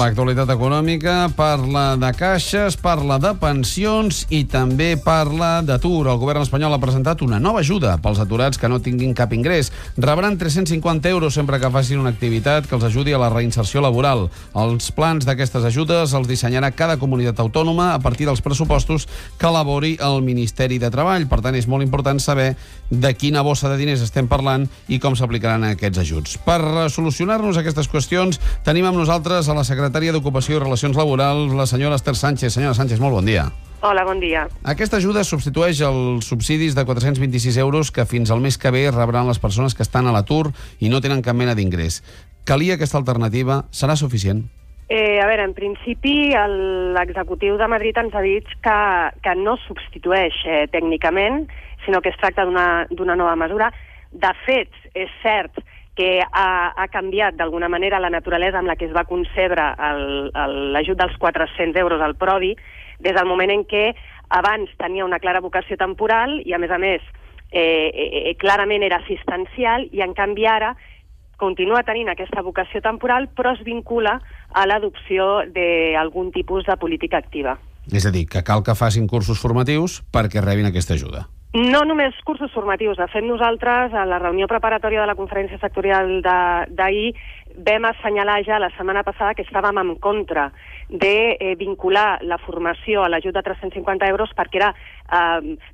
l'actualitat econòmica, parla de caixes, parla de pensions i també parla d'atur. El govern espanyol ha presentat una nova ajuda pels aturats que no tinguin cap ingrés. Rebran 350 euros sempre que facin una activitat que els ajudi a la reinserció laboral. Els plans d'aquestes ajudes els dissenyarà cada comunitat autònoma a partir dels pressupostos que elabori el Ministeri de Treball. Per tant, és molt important saber de quina bossa de diners estem parlant i com s'aplicaran aquests ajuts. Per solucionar-nos aquestes qüestions, tenim amb nosaltres a la secretària d'Ocupació i Relacions Laborals, la senyora Esther Sánchez. Senyora Sánchez, molt bon dia. Hola, bon dia. Aquesta ajuda substitueix els subsidis de 426 euros que fins al mes que ve rebran les persones que estan a l'atur i no tenen cap mena d'ingrés. Calia aquesta alternativa? Serà suficient? A veure, en principi, l'executiu de Madrid ens ha dit que no substitueix tècnicament, sinó que es tracta d'una nova mesura. De fet, és cert que ha canviat d'alguna manera la naturalesa amb la que es va concebre l'ajut dels 400 euros al Prodi, des del moment en què abans tenia una clara vocació temporal i, a més, clarament era assistencial, i en canvi ara continua tenint aquesta vocació temporal, però es vincula a l'adopció d'algun tipus de política activa. És a dir, que cal que facin cursos formatius perquè rebin aquesta ajuda. No només cursos formatius. De fet, nosaltres, a la reunió preparatòria de la conferència sectorial d'ahir, vam assenyalar ja la setmana passada que estàvem en contra de vincular la formació a l'ajut de 350 euros perquè era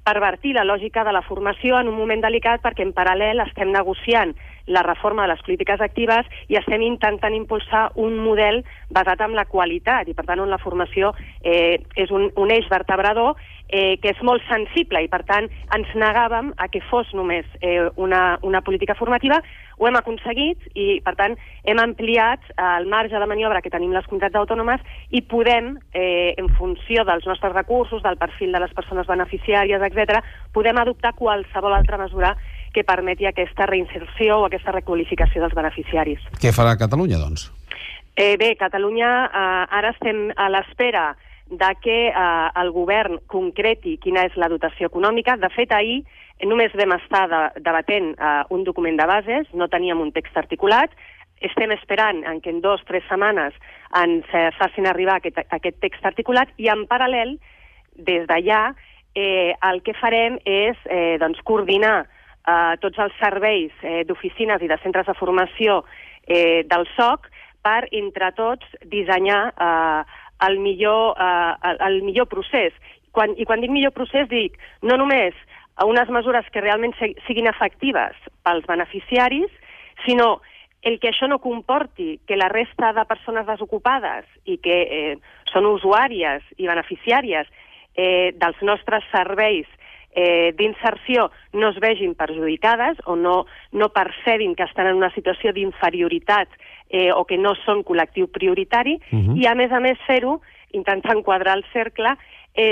pervertir la lògica de la formació en un moment delicat, perquè en paral·lel estem negociant la reforma de les polítiques actives i estem intentant impulsar un model basat en la qualitat i, per tant, on la formació és un eix vertebrador que és molt sensible i, per tant, ens negàvem a que fos només una política formativa. Ho hem aconseguit i, per tant, hem ampliat el marge de maniobra que tenim les comunitats autònomes i podem, en funció dels nostres recursos, del perfil de les persones beneficiàries, etc., podem adoptar qualsevol altra mesura que permeti aquesta reinserció o aquesta requalificació dels beneficiaris. Què farà Catalunya, doncs? Bé, Catalunya ara estem a l'espera de que el govern concreti quina és la dotació econòmica. De fet, ahir només vam estar debatent un document de bases, no teníem un text articulat. Estem esperant que en 2 o 3 setmanes ens facin arribar aquest text articulat i, en paral·lel, des d'allà, el que farem és coordinar tots els serveis d'oficines i de centres de formació del SOC per, entre tots, dissenyar el millor procés. I quan dic millor procés, dic no només unes mesures que realment siguin efectives pels beneficiaris, sinó el que això no comporti que la resta de persones desocupades i que són usuàries i beneficiàries dels nostres serveis d'inserció no es vegin perjudicades o no percebin que estan en una situació d'inferioritat o que no són col·lectiu prioritari, i a més fer-ho, intentar enquadrar el cercle,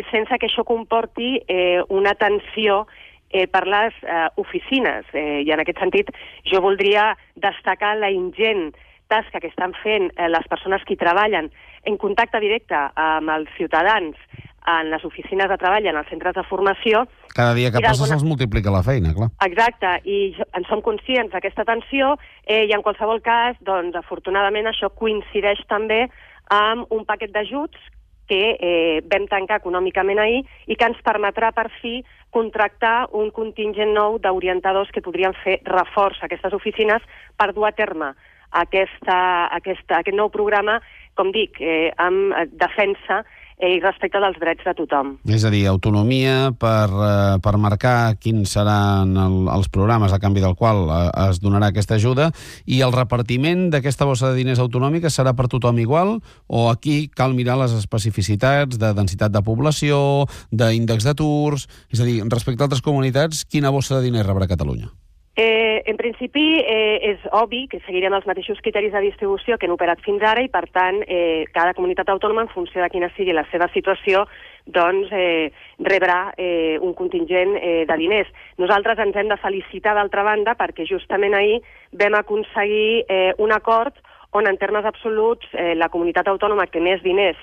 sense que això comporti una tensió per les oficines. I en aquest sentit jo voldria destacar la ingent tasca que estan fent les persones que hi treballen en contacte directe amb els ciutadans en les oficines de treball, en els centres de formació. Cada dia que passa se'ls multiplica la feina, clar. Exacte, i en som conscients d'aquesta tensió i en qualsevol cas, doncs, afortunadament, això coincideix també amb un paquet d'ajuts que vam tancar econòmicament ahir i que ens permetrà, per fi, contractar un contingent nou d'orientadors que podrien fer reforç a aquestes oficines per dur a terme aquest nou programa, com dic, amb defensa i respecte dels drets de tothom. És a dir, autonomia per marcar quins seran els programes a canvi del qual es donarà aquesta ajuda, i el repartiment d'aquesta bossa de diners autonòmica serà per tothom igual, o aquí cal mirar les especificitats de densitat de població, d'índex d'aturs? És a dir, respecte a altres comunitats, quina bossa de diners rebrà Catalunya? En principi, és obvi que seguirem els mateixos criteris de distribució que han operat fins ara i, per tant, cada comunitat autònoma, en funció de quina sigui la seva situació, doncs rebrà un contingent de diners. Nosaltres ens hem de felicitar, d'altra banda, perquè justament ahir vam aconseguir un acord on, en termes absoluts, la comunitat autònoma que més diners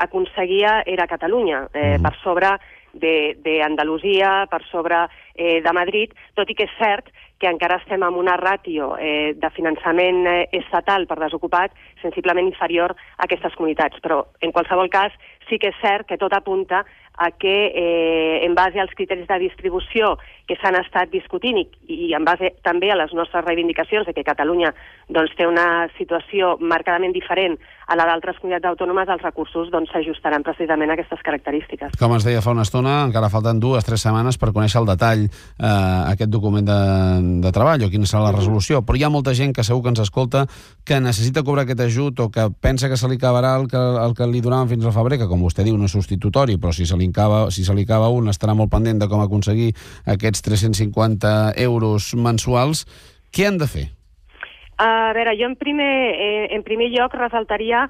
aconseguia era Catalunya, per sobre d'Andalusia, per sobre de Madrid, tot i que és cert que encara estem amb una ràtio de finançament estatal per desocupat sensiblement inferior a aquestes comunitats. Però, en qualsevol cas, sí que és cert que tot apunta a que, en base als criteris de distribució que s'han estat discutint i en base també a les nostres reivindicacions de que Catalunya té una situació marcadament diferent a la d'altres comunitats autònomes, els recursos s'ajustaran precisament a aquestes característiques. Com es deia fa una estona, encara falten 2 o 3 setmanes per conèixer el detall aquest document de treball o quina serà la resolució, però hi ha molta gent que segur que ens escolta que necessita cobrar aquest ajut o que pensa que se li acabarà el que li donaven fins al febrer, que com vostè diu no és substitutori, però si se li acaba un estarà molt pendent de com aconseguir aquests 350 euros mensuals. Què han de fer? A veure, jo en primer lloc ressaltaria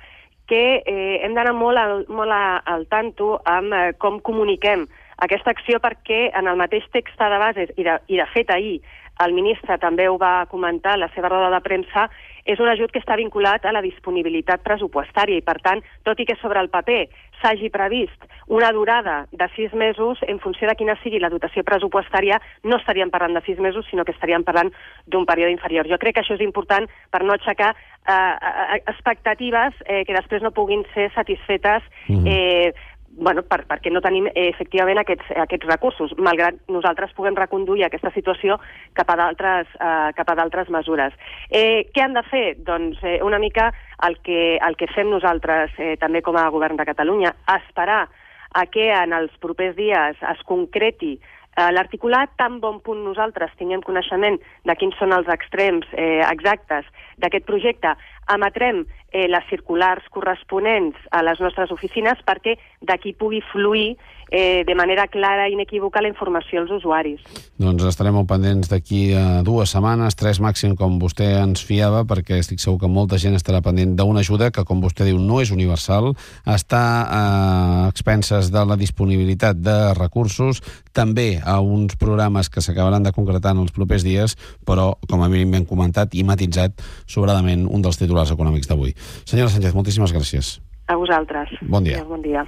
que hem d'anar molt al tanto amb com comuniquem aquesta acció, perquè en el mateix text de bases, i de fet ahir el ministre també ho va comentar a la seva roda de premsa, és un ajut que està vinculat a la disponibilitat pressupostària i, per tant, tot i que sobre el paper s'hagi previst una durada de 6 mesos, en funció de quina sigui la dotació pressupostària, no estaríem parlant de 6 mesos, sinó que estaríem parlant d'un període inferior. Jo crec que això és important per no aixecar expectatives que després no puguin ser satisfetes perquè no tenim efectivament aquests recursos, malgrat nosaltres puguem reconduir aquesta situació cap a d'altres mesures. Què han de fer? Doncs una mica el que fem nosaltres també com a govern de Catalunya, esperar a que en els propers dies es concreti l'articulat, tan bon punt nosaltres tinguem coneixement de quins són els extrems exactes d'aquest projecte, emetrem les circulars corresponents a les nostres oficines perquè d'aquí pugui fluir de manera clara i inequívoca la informació als usuaris. Doncs estarem molt pendents d'aquí a 2 setmanes, 3 màxim, com vostè ens fiava, perquè estic segur que molta gent estarà pendent d'una ajuda que, com vostè diu, no és universal, està a expenses de la disponibilitat de recursos, també a uns programes que s'acabaran de concretar en els propers dies, però, com a mínim ben comentat i matitzat, sobradament un dels titulars econòmics d'avui. Senyora Sánchez, moltíssimes gràcies. A vosaltres. Bon dia. Bon dia.